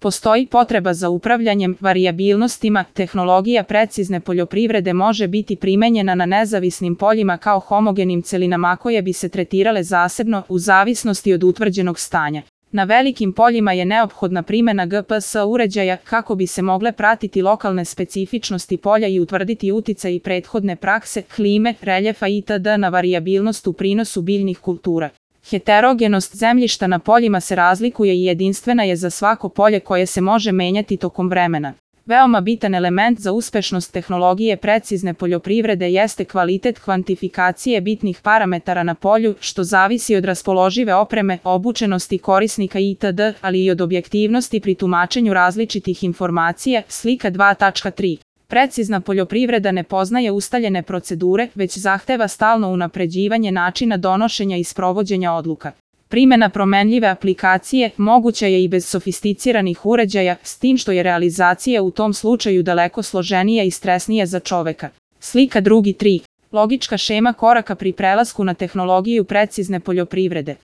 Postoji potreba za upravljanjem varijabilnostima, tehnologija precizne poljoprivrede može biti primenjena na nezavisnim poljima kao homogenim celinama koje bi se tretirale zasebno u zavisnosti od utvrđenog stanja. Na velikim poljima je neophodna primjena GPS uređaja kako bi se mogle pratiti lokalne specifičnosti polja i utvrditi uticaj prethodne prakse, klime, reljefa itd. Na varijabilnost u prinosu biljnih kultura. Heterogenost zemljišta na poljima se razlikuje i jedinstvena je za svako polje koje se može menjati tokom vremena. Veoma bitan element za uspešnost tehnologije precizne poljoprivrede jeste kvalitet kvantifikacije bitnih parametara na polju, što zavisi od raspoložive opreme, obučenosti korisnika itd., ali i od objektivnosti pri tumačenju različitih informacija. Slika 2.3. Precizna poljoprivreda ne poznaje ustaljene procedure, već zahteva stalno unapređivanje načina donošenja i sprovođenja odluka. Primjena promenljive aplikacije moguća je i bez sofisticiranih uređaja, s tim što je realizacija u tom slučaju daleko složenija i stresnija za čoveka. Slika 2.3. Logička šema koraka pri prelasku na tehnologiju precizne poljoprivrede.